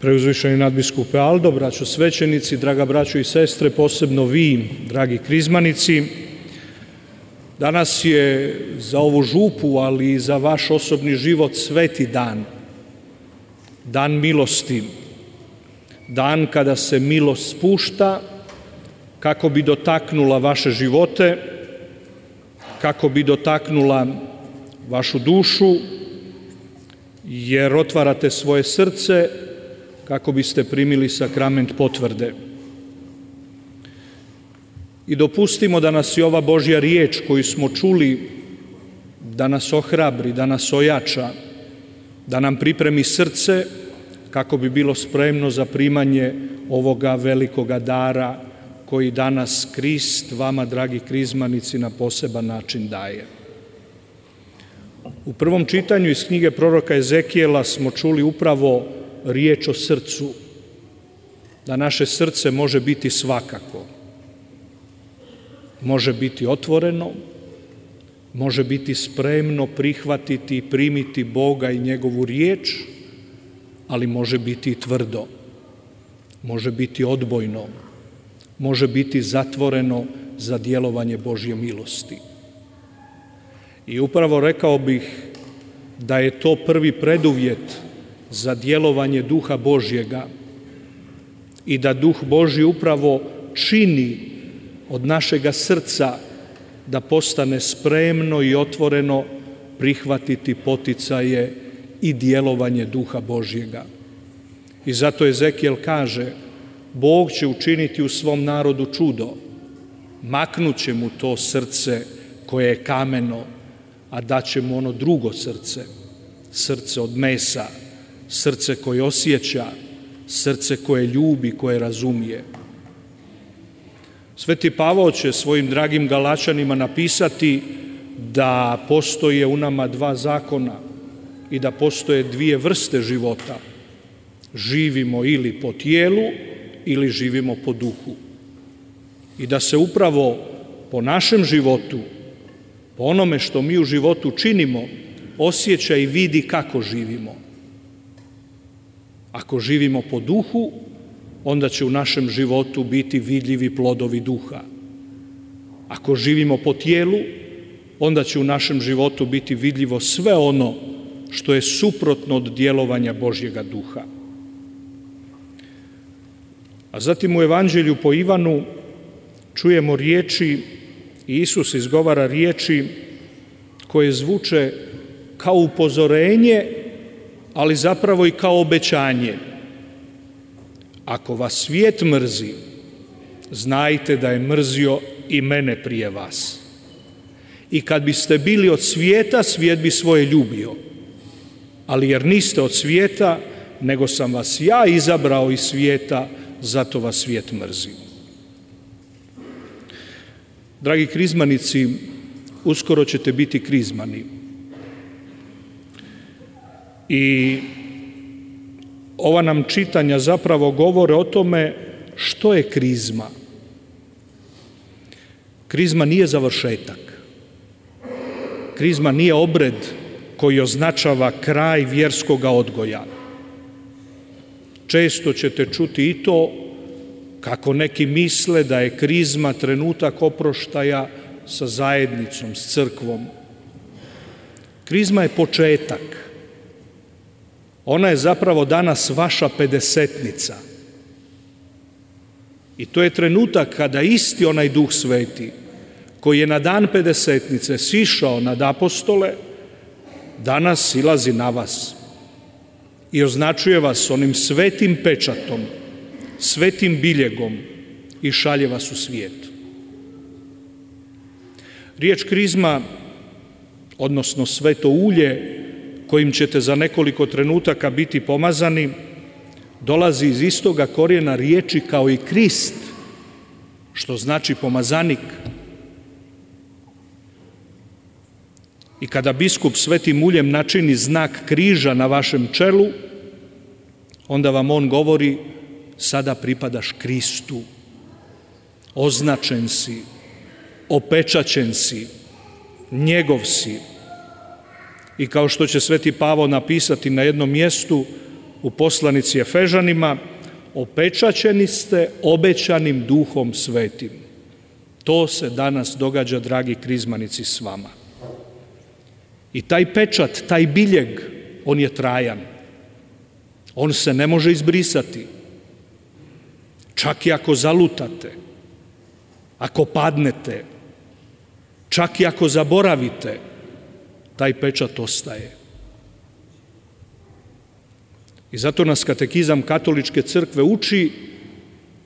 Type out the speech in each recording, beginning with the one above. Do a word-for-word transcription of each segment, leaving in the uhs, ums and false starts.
Preuzvišeni nadbiskupe Aldo, braćo svećenici, draga braćo i sestre, posebno vi, dragi krizmanici, danas je za ovu župu, ali i za vaš osobni život sveti dan, dan milosti, dan kada se milost spušta kako bi dotaknula vaše živote, kako bi dotaknula vašu dušu, jer otvarate svoje srce kako biste primili sakrament potvrde. I dopustimo da nas i ova Božja riječ koju smo čuli, da nas ohrabri, da nas ojača, da nam pripremi srce kako bi bilo spremno za primanje ovoga velikoga dara koji danas Krist vama, dragi krizmanici, na poseban način daje. U prvom čitanju iz knjige proroka Ezekijela smo čuli upravo riječ o srcu, da naše srce može biti svakako. Može biti otvoreno, može biti spremno prihvatiti i primiti Boga i njegovu riječ, ali može biti i tvrdo, može biti odbojno, može biti zatvoreno za djelovanje Božje milosti. I upravo rekao bih da je to prvi preduvjet za djelovanje Duha Božjega i da Duh Božji upravo čini od našega srca da postane spremno i otvoreno prihvatiti poticaje i djelovanje Duha Božjega. I zato Ezekijel kaže, Bog će učiniti u svom narodu čudo, maknut će mu to srce koje je kameno, a daće mu ono drugo srce, srce od mesa, srce koje osjeća, srce koje ljubi, koje razumije. Sveti Pavao će svojim dragim Galačanima napisati da postoje u nama dva zakona i da postoje dvije vrste života. Živimo ili po tijelu ili živimo po duhu. I da se upravo po našem životu, po onome što mi u životu činimo, osjeća i vidi kako živimo. Ako živimo po duhu, onda će u našem životu biti vidljivi plodovi duha. Ako živimo po tijelu, onda će u našem životu biti vidljivo sve ono što je suprotno od djelovanja Božjega duha. A zatim u Evanđelju po Ivanu čujemo riječi, Isus izgovara riječi koje zvuče kao upozorenje, ali zapravo i kao obećanje. Ako vas svijet mrzi, znajte da je mrzio i mene prije vas. I kad biste bili od svijeta, svijet bi svoje ljubio. Ali jer niste od svijeta, nego sam vas ja izabrao iz svijeta, zato vas svijet mrzi. Dragi krizmanici, uskoro ćete biti krizmani. I ova nam čitanja zapravo govore o tome što je krizma. Krizma nije završetak. Krizma nije obred koji označava kraj vjerskoga odgoja. Često ćete čuti i to kako neki misle da je krizma trenutak oproštaja sa zajednicom, s crkvom. Krizma je početak. Ona je zapravo danas vaša pedesetnica. I to je trenutak kada isti onaj Duh Sveti, koji je na dan pedesetnice sišao nad apostole, danas silazi na vas i označuje vas onim svetim pečatom, svetim biljegom i šalje vas u svijet. Riječ krizma, odnosno sveto ulje, kojim ćete za nekoliko trenutaka biti pomazani, dolazi iz istoga korijena riječi kao i Krist, što znači pomazanik. I kada biskup svetim uljem načini znak križa na vašem čelu, onda vam on govori, sada pripadaš Kristu, označen si, opečaćen si, njegov si. I kao što će sveti Pavao napisati na jednom mjestu, u poslanici Efežanima, opečaćeni ste obećanim Duhom Svetim. To se danas događa, dragi krizmanici, s vama. I taj pečat, taj biljeg, on je trajan. On se ne može izbrisati. Čak i ako zalutate, ako padnete, čak i ako zaboravite, taj pečat ostaje. I zato nas katekizam Katoličke crkve uči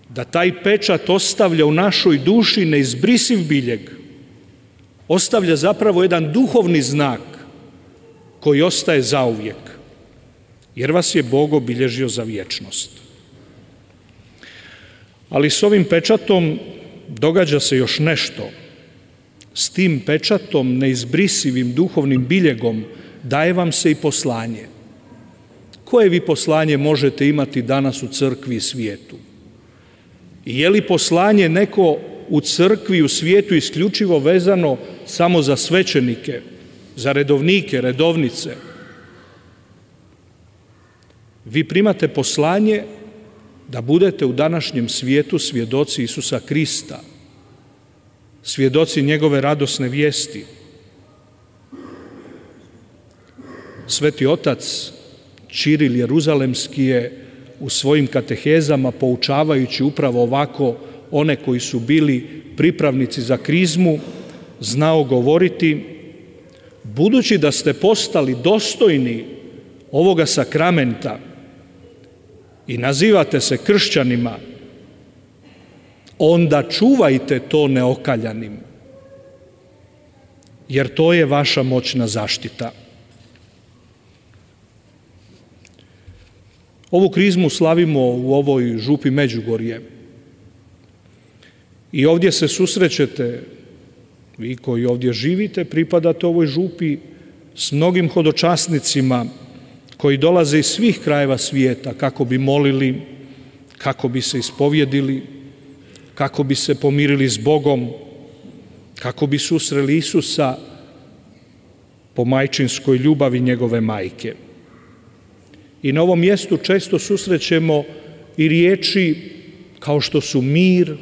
da taj pečat ostavlja u našoj duši neizbrisiv biljeg. Ostavlja zapravo jedan duhovni znak koji ostaje zauvijek, jer vas je Bog obilježio za vječnost. Ali s ovim pečatom događa se još nešto. S tim pečatom, neizbrisivim duhovnim biljegom, daje vam se i poslanje. Koje vi poslanje možete imati danas u crkvi i svijetu? I je li poslanje neko u crkvi i u svijetu isključivo vezano samo za svećenike, za redovnike, redovnice? Vi primate poslanje da budete u današnjem svijetu svjedoci Isusa Krista, svjedoci njegove radosne vijesti. Sveti otac Ćiril Jeruzalemski je u svojim katehezama, poučavajući upravo ovako one koji su bili pripravnici za krizmu, znao govoriti: budući da ste postali dostojni ovoga sakramenta i nazivate se kršćanima, onda čuvajte to neokaljanim, jer to je vaša moćna zaštita. Ovu krizmu slavimo u ovoj župi Međugorje. I ovdje se susrećete, vi koji ovdje živite, pripadate ovoj župi, s mnogim hodočasnicima koji dolaze iz svih krajeva svijeta kako bi molili, kako bi se ispovjedili, kako bi se pomirili s Bogom, kako bi susreli Isusa po majčinskoj ljubavi njegove majke. I na ovom mjestu često susrećemo i riječi kao što su mir,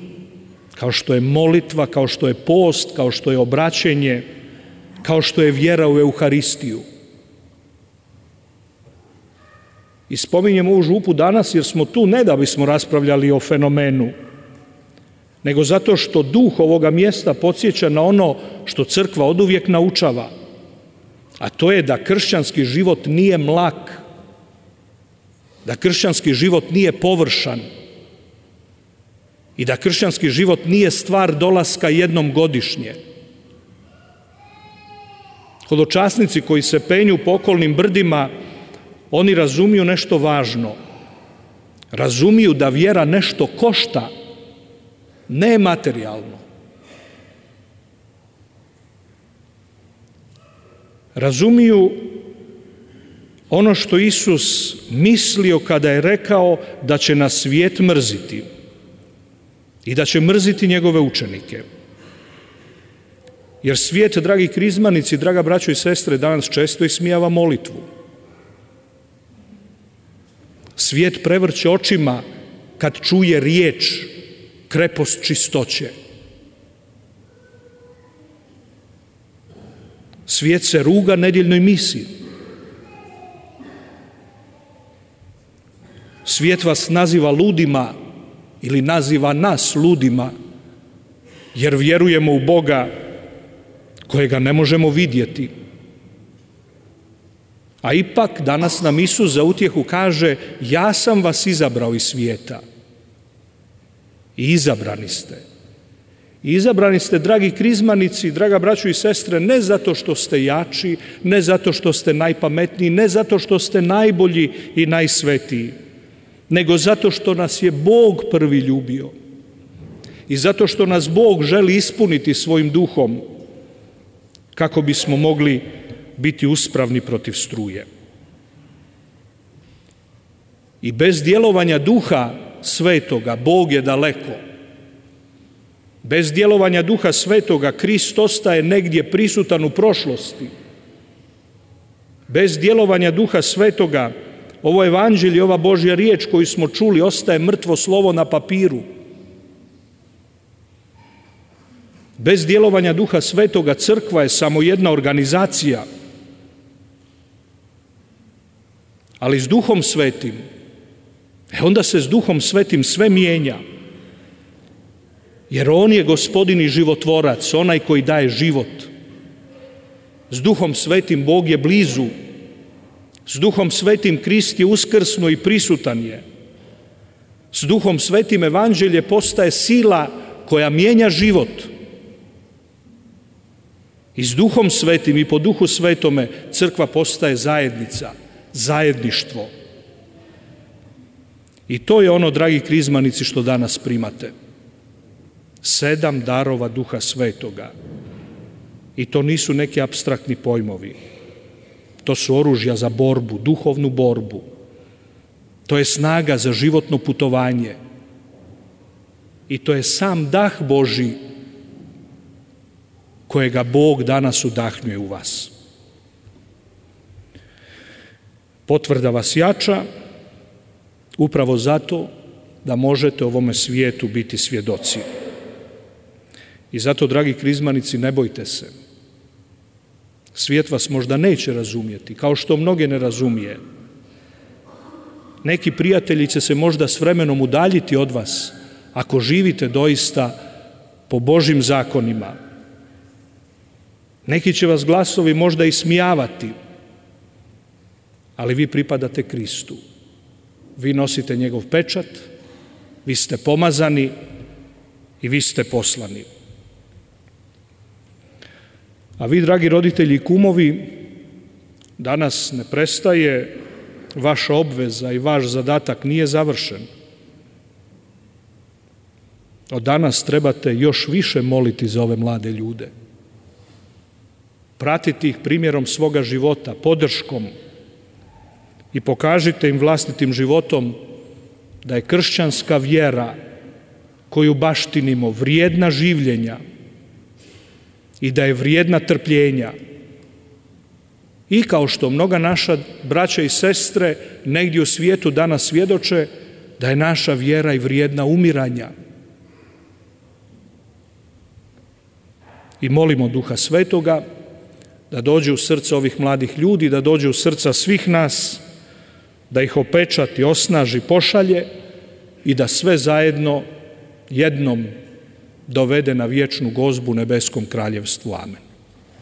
kao što je molitva, kao što je post, kao što je obraćenje, kao što je vjera u Euharistiju. I spominjemo ovu župu danas jer smo tu ne da bismo raspravljali o fenomenu, nego zato što duh ovoga mjesta podsjeća na ono što crkva oduvijek naučava, a to je da kršćanski život nije mlak, da kršćanski život nije površan i da kršćanski život nije stvar dolaska jednom godišnje. Hodočasnici koji se penju po okolnim brdima, oni razumiju nešto važno. Razumiju da vjera nešto košta, ne materijalno. Razumiju ono što Isus mislio kada je rekao da će nas svijet mrziti i da će mrziti njegove učenike. Jer svijet, dragi krizmanici, draga braćo i sestre, danas često ismijava molitvu. Svijet prevrće očima kad čuje riječ krepost čistoće. Svijet se ruga nedjeljnoj misi. Svijet vas naziva ludima ili naziva nas ludima, jer vjerujemo u Boga kojega ne možemo vidjeti. A ipak danas nam Isus za utjehu kaže: ja sam vas izabrao iz svijeta. I izabrani ste. I izabrani ste, dragi krizmanici, draga braćo i sestre, ne zato što ste jači, ne zato što ste najpametniji, ne zato što ste najbolji i najsvetiji, nego zato što nas je Bog prvi ljubio i zato što nas Bog želi ispuniti svojim duhom kako bismo mogli biti uspravni protiv struje. I bez djelovanja Duha Svetoga Bog je daleko. Bez djelovanja Duha Svetoga Krist ostaje negdje prisutan u prošlosti. Bez djelovanja Duha Svetoga ovo evanđelje, ova Božja riječ koju smo čuli ostaje mrtvo slovo na papiru. Bez djelovanja Duha Svetoga crkva je samo jedna organizacija. Ali s Duhom Svetim, e onda se s Duhom Svetim sve mijenja. Jer on je Gospodin i životvorac, onaj koji daje život. S Duhom Svetim Bog je blizu. S Duhom Svetim Krist je uskrsnuo i prisutan je. S Duhom Svetim evanđelje postaje sila koja mijenja život. I s Duhom Svetim i po Duhu Svetome crkva postaje zajednica, zajedništvo. I to je ono, dragi krizmanici, što danas primate. Sedam darova Duha Svetoga. I to nisu neki apstraktni pojmovi. To su oružja za borbu, duhovnu borbu. To je snaga za životno putovanje. I to je sam dah Božji kojega Bog danas udahnjuje u vas. Potvrda vas jača upravo zato da možete ovome svijetu biti svjedoci. I zato, dragi krizmanici, ne bojte se. Svijet vas možda neće razumjeti, kao što mnoge ne razumije. Neki prijatelji će se možda s vremenom udaljiti od vas, ako živite doista po Božjim zakonima. Neki će vas glasovi možda ismijavati, ali vi pripadate Kristu. Vi nosite njegov pečat, vi ste pomazani i vi ste poslani. A vi, dragi roditelji i kumovi, danas ne prestaje vaša obveza i vaš zadatak nije završen. Od danas trebate još više moliti za ove mlade ljude. Pratiti ih primjerom svoga života, podrškom, i pokažite im vlastitim životom da je kršćanska vjera koju baštinimo vrijedna življenja i da je vrijedna trpljenja. I kao što mnoga naša braća i sestre negdje u svijetu danas svjedoče, da je naša vjera i vrijedna umiranja. I molimo Duha Svetoga da dođe u srce ovih mladih ljudi, da dođe u srca svih nas, da ih opečati, osnaži, pošalje i da sve zajedno jednom dovede na vječnu gozbu nebeskom kraljevstvu. Amen.